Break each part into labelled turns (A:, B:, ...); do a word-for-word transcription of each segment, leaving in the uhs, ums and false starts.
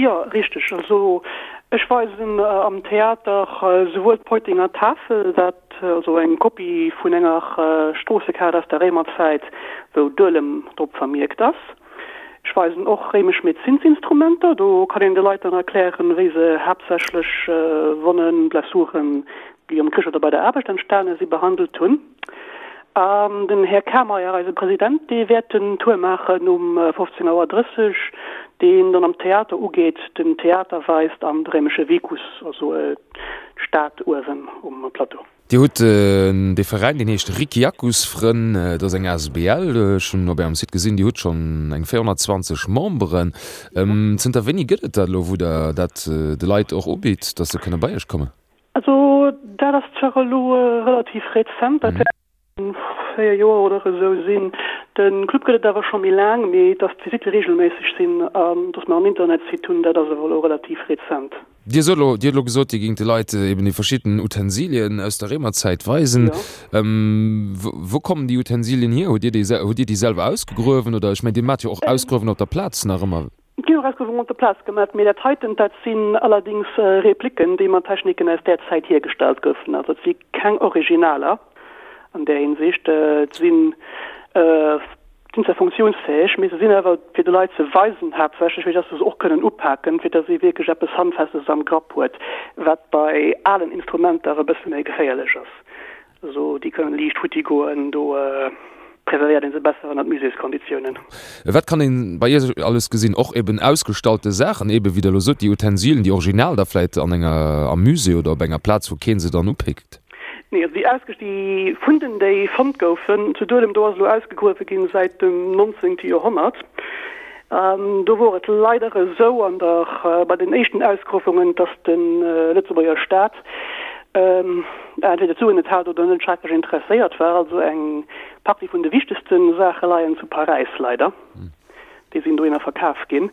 A: Jo, richteg. Also ech weisen am Theater souwuel d'Peutinger Tafel, dat also eng Kopie vun enger Stroossekaart aus der Réimerzäit, wou Duelem drop vermierkt ass. Ech weisen och réimesch Medezinsinstrumenter, do kann een de Leit dann erklären, wéi se haaptsächlech Wonnen, Blessuren, déi am Krich oder bei der Aarbecht entstane si, behandelt hunn. An den Här Kameyer, eise President, dee wäert den Tour maachen um fofzéng Auer drësseg, deen dann am Theater ugeet, den Theater weist an de réimesche Vicus, also d'Stad uewen um Plateau.
B: Dir hutt dee Veräin, deen heescht Ricciacusfrënn, dat ass eng asbl, ech hunn op Ärem Site gesinn, Dir hutt schonn eng véierhonnertzwanzeg Memberen. Zënter wéini gëtt et dat elo, wou Der dat de Leit och ubitt, datt se kënne bei Iech kommen?
A: Also dat ass zwar elo relativ rezent, dat wäerten véier Joer oder esou sinn. De Club gëtt et awer scho méi laang, mee datt d'Visitte reegelméisseg sinn an datt mer en Internetsite hunn, dat ass awer elo relativ rezent.
B: Dir sot elo, Dir hutt elo gesot, Dir géingt de Leit eben déi verschidden Utensilien aus der Réimerzäit weisen. Wou kommen déi Utensilien hier? Hutt Dir déi, hutt Dir déi selwer ausgegruewen oder? Ech mengen, Dir maacht jo och Ausgruewen op der Plaz nach ëmmer.
A: Et ginn och Ausgruewungen op der Plaz gemaach, mee dat heiten, dat sinn allerdings Repliken, déi mat Techniken aus där Zäit hiergestallt goufen. Also et si keng Originaler an där Hinsicht. Et sinn sinn zwar funktiounsfäeg, mee se sinn awer fir de Leit ze weisen haaptsächlech, fir dass se se och kënnen upaken, fir dass ee wierklech eppes Handfestes am Grapp huet, wat bei alen Instrumenter e bësse méi geféierlech ass. Also déi kënnen liicht futti goen, do preservéiert ee se besser ënnert Muséeskonditiounen.
B: Wat kann een bei Iech alles gesinn? Och eben ausgestallte Saachen, eben wéi Der elo sot, déi Utensilen, déi original da vläit an enger, am Musée oder op enger Plaz, wou kee se dann upickt?
A: Nee, also déi ausges-, déi Funden, déi fonnt goufen zu Duelem, do ass elo ausgegruewe ginn säit dem nonzéngte Joerhonnert. An do wor et leider esou an der, bei den éischten Ausgruewungen, dass de Lëtzebuerger Staat entweder d'Suen net hat oder net schrecklech interesséiert war. Also eng Partie vun de wichtegste Saache leien zu Paräis, leider. Déi sinn dohinner verkaf ginn.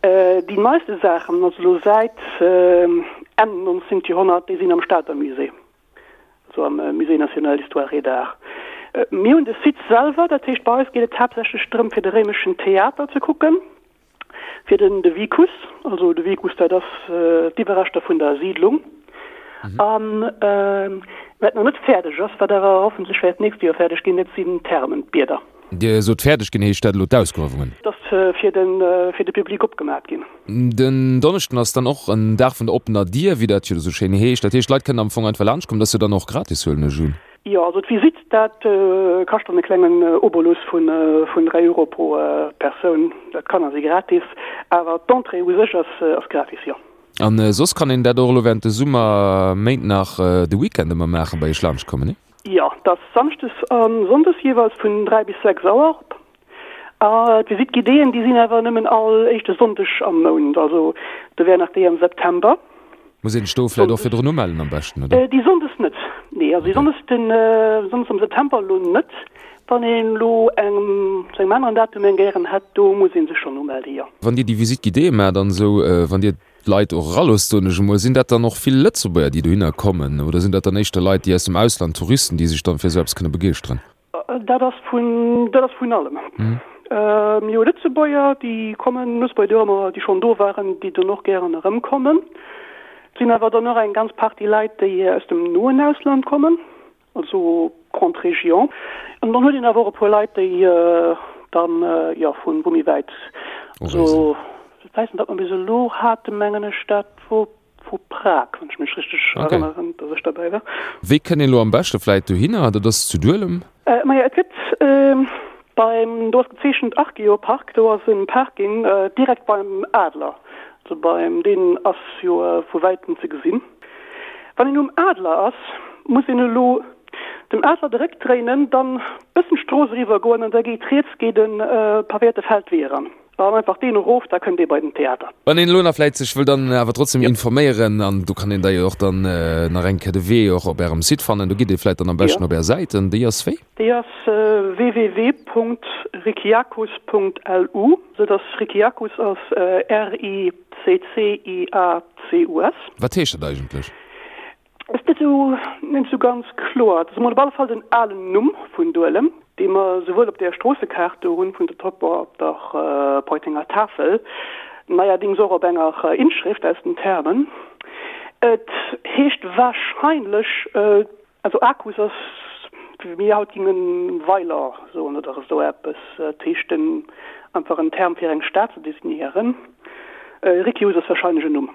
A: Déi neiste Saachen, also elo säit Enn nonzéngt Joerhonnert, déi sinn am Stater Musée, also am Musée national d'histoire et d'art. Mir hunn de Site selwer, dat heescht bei eis geet et haaptsächlech drëm fir de réimeschen Theater ze kucken, fir den de Vicus, also de Vicus dat ass d'Iwwerreschter vun der Siidlung. An wat nach net fäerdeg ass, wat awer hoffentlech wäert d'nächst Joer fäerdeg ginn, dat sinn d'Thermen, d'Bieder.
B: Dir sot fäerdeg ginn, heescht dat elo d'Ausgruewungen?
A: Dat ass fir de fir de Public opgemaach ginn.
B: Den Donneschden ass dann och en Dag vun der oppener Dier, wéi dat jo esou schéin heescht. Dat heescht, d'Leit kënnen am Fong einfach laanscht kommen, dat ass jo dann och gratis, huelen ech un?
A: Jo, also d'Visitt, dat kascht dann e klengen Obolus vun vun dräi Euro pro Persoun. Dat Kanner si gratis, awer d'Entrée u sech ass ass gratis, jo.
B: An soss kann een dat och elo während de Summerméint nach de Weekend ëmmer maachen, bei iech laanscht kommen, nee?
A: Jo, dat ass samschdes a sonndes jeeweils vun dräi bis sechs Auer op. A d'Visite guidéeën, déi sinn awer nëmmen all éischte Sonndeg am Mount, also do wär nach déi am September.
B: Muss een sech do vläicht och virdrun umellen am beschten, oder?
A: Déi sonndes net, nee, also déi sonndes, den Sonndes am September elo net. Wann een elo eng zu engem aneren Datum eng gären hätt, do muss ee sech schonn umelde, jo.
B: Wann Dir déi Visite guidéeë maacht an esou, wann Dir d'Leit och eraloosst, soen ech emol, sinn dat dann och vill Lëtzebuerger, déi dohinner kommen, oder sinn dat dann éischter Leit, déi aus dem Ausland, Touristen, déi sech dann fir esou eppes kënne begeeschteren?
A: Dat ass vun, dat ass vun allem. Mir hu Lëtzebuerger, déi kommen, Lëtzebuerger, déi och ëmmer, déi schonn do waren, déi dann och gären erëmkommen. Et sinn awer dann och eng ganz Partie Leit, déi aus dem noen Ausland kommen, also Grande Région. An dann huet een awer och e puer Leit, déi dann, jo, vu méi wäit, also ech weess net, wat mer bis elo haten, mengen ech, dat wor vu Prag, wann ech mech richteg erënneren, dass ech derbäi war.
B: Wéi kënnt een elo am beschte vläit dohinner? Dat ass zu Duelem?
A: Majo, et gëtt beim, do ass gezeechent Archeopark, do ass e Parking direkt beim Adler, also beim, deen ass jo vu wäitem ze gesinn. Wann een um Adler ass, muss een elo dem Adler de Réck dréinen, dann bëssen d'Strooss eriwwer goen an da geet riets geet e pavéierte Feldwee eran. An einfach deen erof, da kënnt ee bei den Theater.
B: Wann een elo nach vläit sech wëll dann awer trotzdem informéieren, an do kann een da jo och dann nach eng Kéier de Wee och op Ärem Site fannen, do gitt Dir vläit dann am beschten op Är Säit, an déi ass wéi?
A: Déi ass www.ricciacus.lu, sou dass Ricciacus ass R-I-C-C-I-A-C-U-S.
B: Wat heescht dat eigentlech?
A: Ass net esou net esou ganz kloer. Dat ass emol op alle Fall den alen Numm vun Duelem, dee mer souwuel op där Stroossekaart do hunn vun der Top op der Peutinger Tafel. Neierdings och op enger Inschrift aus den Thermen. Et heescht wahrscheinlech, also Acus ass, wéi mir haut gingen Weiler soen oder esou eppes. Et heescht en, einfach en Term fir eng Stad ze designéieren. Riccius ass wahrscheinlech en Numm.